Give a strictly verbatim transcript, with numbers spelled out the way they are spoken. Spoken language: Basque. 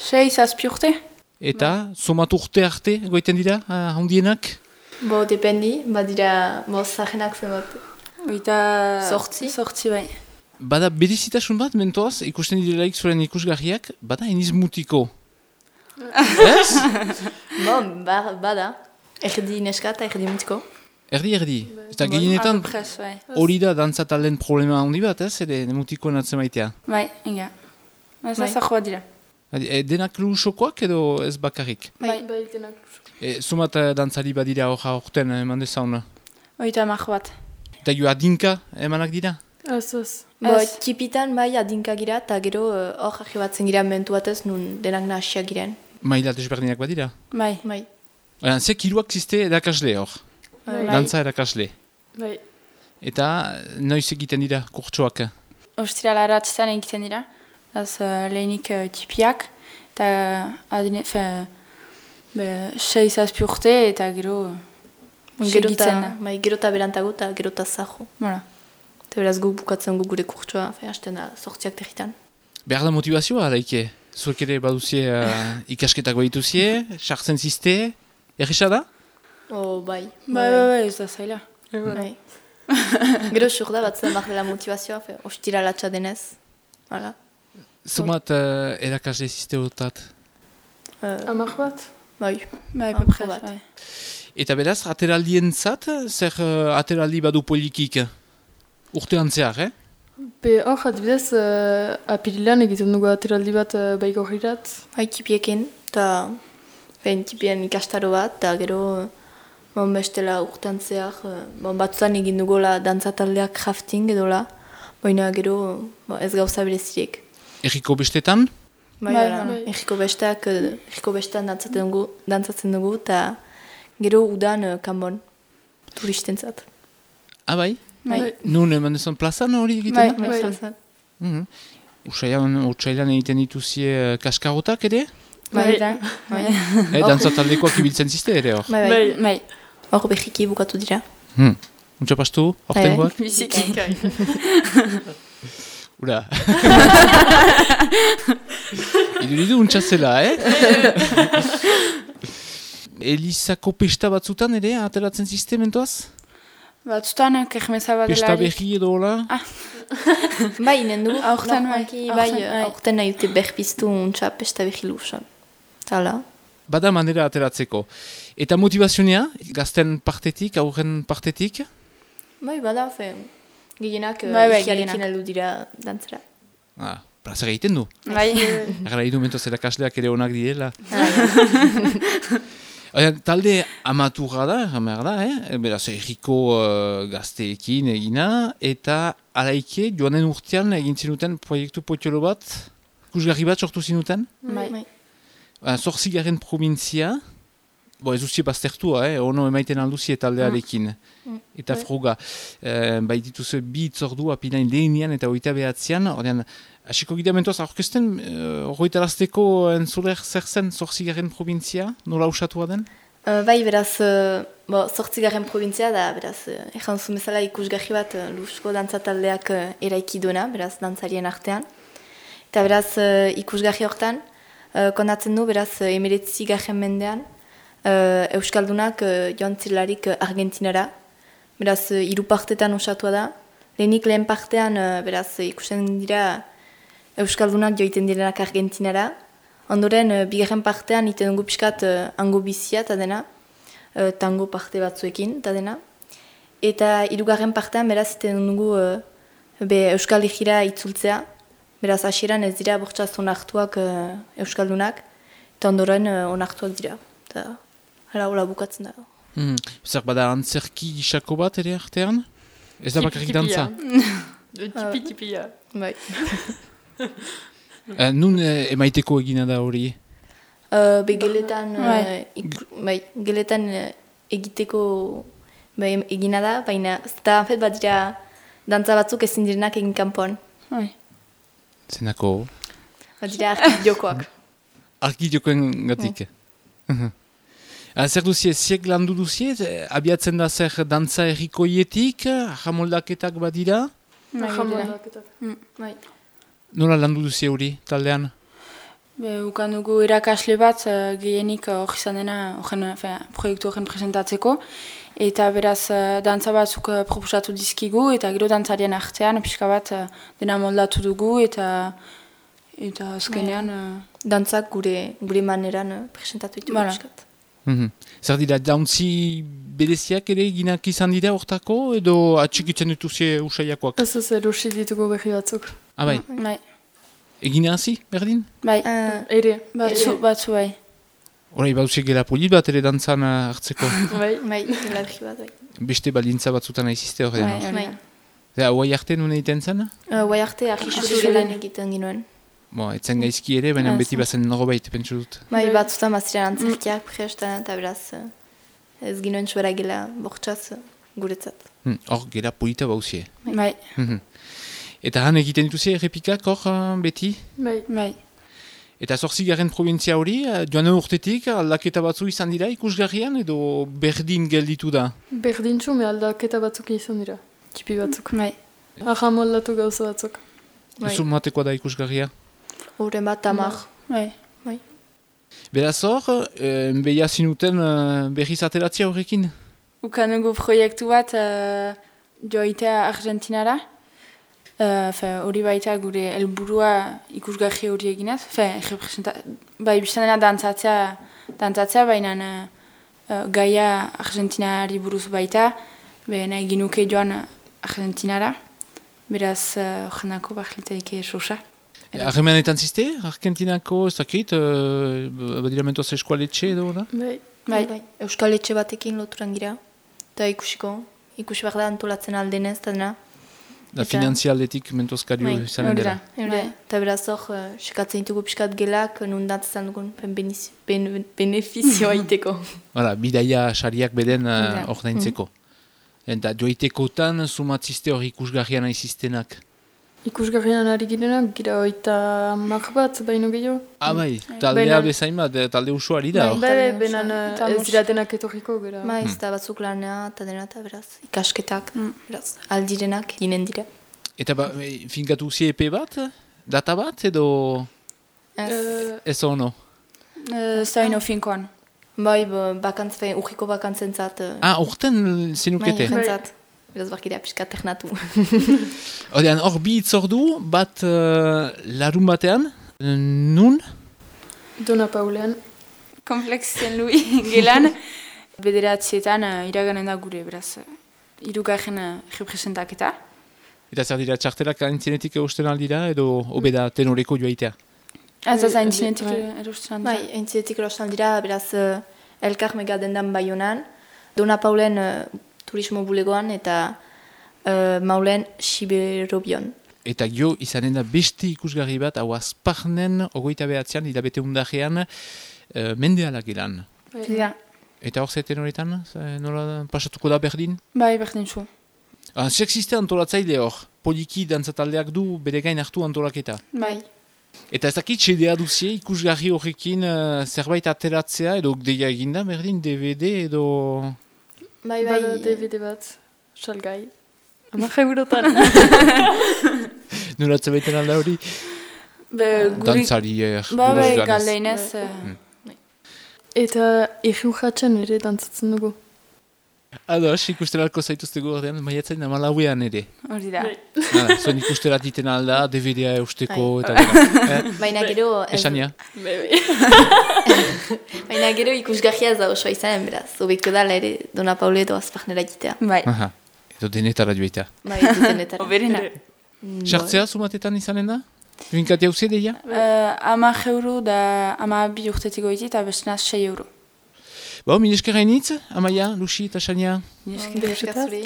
sei, zazpi urte. Eta, somatu urte arte, goiten dira, uh, handienak? Bo, dependi, badira, bo, zahenak zenbat. Oita... Sortzi? Sortzi, bai. Bada berezitasun bat, mentoaz, ikusten direlaik zuren ikusgarriak, bada eniz mutiko. Ez? Bo, ba, bada. Erdi neska eta erdi mutiko. Erdi, erdi. Eta gehienetan, Pres, bai. hori da dantzatalen problema handi bat, ez? Ere, mutiko natzen maitea. Bai, inga. Ez Bai. azajoa dira. E, denak lusokoak edo ez bakarrik? Bai. Bai, denak. E, Zumat uh, dantzari badira hor aurten eman dezauna. Oita mar bat. Eta jo adinka emanak dira? Ez, ez. Bo, Ez. tipitan bai adinka gira, eta gero eh, hor uh, batzen gira mentu batez, nun denak nahasiak giren. Maila desberdinak badira? Bai. Bai. Baina, ze kiruak ziste erakasle hor? Bai. Dantza erakasle. Bai. Eta noiz egiten dira kurtsoak? Ostirala ratzetan egiten dira. Az uh, lehenik uh, tipiak. Eta adine... Fe... Be, sei zazpi urte eta gero... Gero segitzen da. eta bai, gero eta berantago eta gero eta zaho. Voilà. Eta beraz gu bukatzen gu gure kurtsoa, fe, hasten da sortziak territan. Behar da motivazioa, alaike? Zuek ere baduzie uh, ikasketak behituzie, sartzen ziste, errisa da? Oh, bai. Bai, bai, bai, ez da zaila. Bai. Gero sur da batzen behar dela motivazioa, fe, ostira latxa denez. Hala. Zumat uh, erakasle ziste hotat. Uh, Amak bat? bai. Bai, Ah, pepres, bat. bai. Eta beraz, ateraldien zat, zer uh, ateraldi badu polikik? Urtean zehar, eh? Be hor, adibidez, uh, apirilean egiten dugu ateraldi bat uh, baiko hirat. Bai, tipiekin, eta fein tipien ikastaro bat, eta gero bon, bestela urtean zehar, eh, bon, batzutan egin dugola dantzataldeak crafting edola, baina gero bon, ez gauza berezirik. Erriko bestetan? Bai, Bai, bai, bai. Erriko besteak, eh, erriko bestean dantzatzen dugu, dantzatzen dugu, eta gero udan uh, kanbon, turistentzat. Ah, bai? Bai, Nun eman dezan plazan hori egiten Bai. da? bai, Bai. bai. Mhm. Utsailan, utsailan egiten dituzie uh, kaskarotak ere? Bai, Bai. bai. Eh, dantzataldekoak ibiltzen ziste ere hor? Bai, bai. Bai. Hor behiki bukatu dira. Hmm. Untsa pastu, hortengoak? Biziki. Ura. Iduridu untsa zela, eh? Elizako pesta batzutan ere, ateratzen ziste mentoaz? Batzutan, kermeza bat Pesta delarik. berri edo hola? Bai, inen du. Aurten, bai. Normalki, bai, Aurten, bai. aurten nahi dute berpiztu untsa pesta behi lusan. Tala. Bada manera ateratzeko. Eta motivazionea, gazten partetik, aurren partetik? Bai, bada, fe, gehienak Bai, bai, ikiarekin gehienak. aldu dira dantzera. Ah, plazer egiten du. Bai. Agara idu mentoz erakasleak ere onak direla. Oia, talde amaturra da, jamar da, eh? Beraz, erriko uh, gazteekin egina, eta alaike, joanen urtean egin zinuten proiektu potxolo bat, kusgarri bat sortu zinuten? Bai. Uh, Zortzigaren provintzia, bo ez uzie baztertua, eh? Ono emaiten alduzie taldearekin. Eta froga, uh, bai dituzu bi itzordu apinain lehenian eta oita behatzean, ordean, hasiko gira mentoaz aurkesten, uh, horretarazteko entzuler zer zen Zortzigaren provintzia, nola usatua den? Uh, bai, beraz, uh, bo, zortzigarren provintzia da, beraz, uh, ejan zuen bezala ikusgarri bat uh, Lusko dantzataldeak uh, eraiki duena, beraz, dantzarien artean. Eta beraz, uh, ikusgarri hortan, uh, konatzen du, beraz, uh, emeretzigarren mendean, uh, Euskaldunak uh, joan zirelarik uh, Argentinara. Beraz, uh, hiru partetan osatua da. Lehenik lehen partean, uh, beraz, uh, ikusten dira Euskaldunak joiten direnak Argentinara. Ondoren, uh, bigarren partean iten dugu pixkat uh, hango bizia eta dena, uh, tango parte batzuekin eta dena. Eta hirugarren partean, beraz, iten dugu uh, be Euskal Herrira itzultzea. Beraz, hasieran ez dira bortxaz onartuak uh, Euskaldunak, eta ondoren uh, onartuak dira. Eta hala hola bukatzen da. Hmm. Zer bada antzerki gisako bat ere artean? Ez da bakarrik dantza? Tipi-tipia. Bai. Uh, nun eh, emaiteko egina da hori? Uh, be geletan, uh, Bai. ik, bai, geletan uh, egiteko bai, egina da, baina eta anfet bat dira dantza batzuk ezin direnak egin kanpoan. Bai. Zenako? Bat dira arki jokoak. Arki jokoen gatik. Mm. Zer duzie, ziek landu duzie, eh, abiatzen da zer dantza errikoietik, jamoldaketak badira? Bai, Jamon dira. daketak. Bai. Nola landu duzie hori, taldean? Be, ukan dugu irakasle bat uh, gehienik hor izan dena horren, proiektu horren presentatzeko. Eta beraz, uh, dantza batzuk uh, proposatu dizkigu, eta gero dantzarien artean, pixka bat uh, dena moldatu dugu, eta eta azkenean... Uh, Dantzak gure, gure maneran uh, presentatu ditu Voilà. piskat. Mhm. Zer dira, jauntzi bereziak ere ginak izan dira hortako, edo atxikitzen dituzie usaiakoak? Ez ez erosi ditugu berri batzuk. Ah, bai. bai, Egina hazi, berdin? bai, Uh, Ere. batzu, batzu bai. Horai, bauzik gela polit bat ere dantzan uh, hartzeko. Bai. bai, elargi bat, bai. Beste balintza batzutan aizizte horrean. Bai, no? hori Bai. da. Eta, hauai arte nuen egiten zen? Uh, Guai arte, argisuru Argisuru lan lan. egiten ginoen. Bo, etzen gaizki ere, baina Ah, beti zen. bazen norbait, pentsu dut. Bai, Bai. batzutan baziren antzerkiak prestan, eta beraz, uh, ez ginoen suera gela bortxaz uh, guretzat. Hm, Hor, gela polita bauzie. Bai, Mhm. Eta han egiten dituzie errepikak hor uh, beti? Bai. bai. Eta zorzigarren provintzia hori, uh, joan urtetik aldaketa batzu izan dira ikusgarrian edo berdin gelditu da? Berdintxu, me aldaketa batzuk izan dira. Txipi batzuk. Bai, Aha moldatu gauza batzuk. Bai. Zun matekoa da ikusgarria? Horren bat, tamar. bai. Beraz hor, eh, behia zinuten uh, berriz ateratzia horrekin? Ukan dugu proiektu bat uh, joitea Argentinara. Uh, fe, hori baita gure helburua ikusgarri hori eginez. Fe, representa... Bai, biztan dena dantzatzea, dantzatzea baina uh, gaia Argentinari buruz baita. Be, nahi ginuke joan Argentinara. Beraz, horrenako uh, bahlitaike sosa. Harremanetan ziste, Argentinako, ez dakit, uh, badira mentoz eskualetxe edo da? Bai. Bai, bai. Euskal etxe batekin loturan gira. Eta ikusiko, ikusi behar da antolatzen aldenez, eta dena. Da Eta- finanzialdetik mentozkario Bai, izanen hori dela. da. Bai. Eta beraz hor, uh, sekatzen ditugu piskat gelak, nundatzen dugun ben beniz- ben, benefizioa iteko. Hala, bidaia sariak beden uh, Hori da. ordaintzeko. Eta joitekotan sumatziste hori ikusgarrian aiziztenak. Ikusgarrian ari girenak, gira oita mar bat, baino gehiago. Ah, bai, taldea Baina- bezain bat, eh, talde usuari da. Bai. hor. Bai, Talde benan osoa. eh, Eta ez mos- diratenak etorriko, gara. Ba, ez da batzuk lanea, eta dena, eta beraz, ikasketak, Mm. beraz, aldirenak ginen dira. Eta ba, eh, finkatu zi epe bat, data bat, edo Ez. Eh, ez ono? Uh, Zaino finkoan. Bai, ba, bakantz, fein, urriko bakantzen zat. Uh, Ah, urten bai, zenukete. jentzat. Beraz, barkidea piskat ternatu. Odean, hor bi itzordu, bat uh, larun batean, eh, nun? Dona Paulean. Komplexen lui gelan. Bederatzietan uh, iraganen da gure, beraz. Uh, irugarren uh, representaketa. Eta zer dira, txartelak aintzinetik eusten aldira, edo obeda tenoreko joaitea? Ez da Bai, zaintzinetik bai. erosten Bai, entzietik erosan dira, beraz, uh, elkar megadendan baionan, Dona Paulen uh, turismo bulegoan, eta uh, Maulen Siberobion. Eta jo, izanen da beste ikusgarri bat, hau azparnen, ogoita behatzean, hilabete undajean, uh, mendeala gelan. Ja. Eta hor zaiten horretan, eh, nola pasatuko da berdin? Bai, berdin zu. Ah, sexiste antolatzaile hor, poliki dantzataldeak du bere gain hartu antolaketa. Bai. Eta ez dakit, sedea duzie ikusgarri horrekin uh, zerbait ateratzea, edo deia eginda berdin, D V D edo... Bai, bai, Bada D V D bat, salgai. Hamar eurotan. Noratze baiten alda hori? Be, guri... Dantzari eh, Ba, buruz bai, joanez. galdeinez. Uh, Eta egin jatzen ere dantzatzen dugu. Ados, ikusteralko zaituztegu ordean, maiatzen amalauean ere. hori da. Ah, zuen ikusterat iten alda, D V D-a eusteko eta Bai. gero. Eh, baina gero... ez- Esania? Bai, bai. Baina gero ikusgarria ez da osoa izanen, beraz. Obeko dala ere Dona Paule edo azparnera egitea. Bai. Aha, edo denetara joita. Bai, dutenetara. Oberena. Sartzea sumatetan izanen da? Binkati hau zedeia? Uh, ama euro da ama bi urtetik goiti eta bestenaz sei euro. Bo, min eskerra initz, Amaia, Lucy eta Sania. Esker. Esker zuri.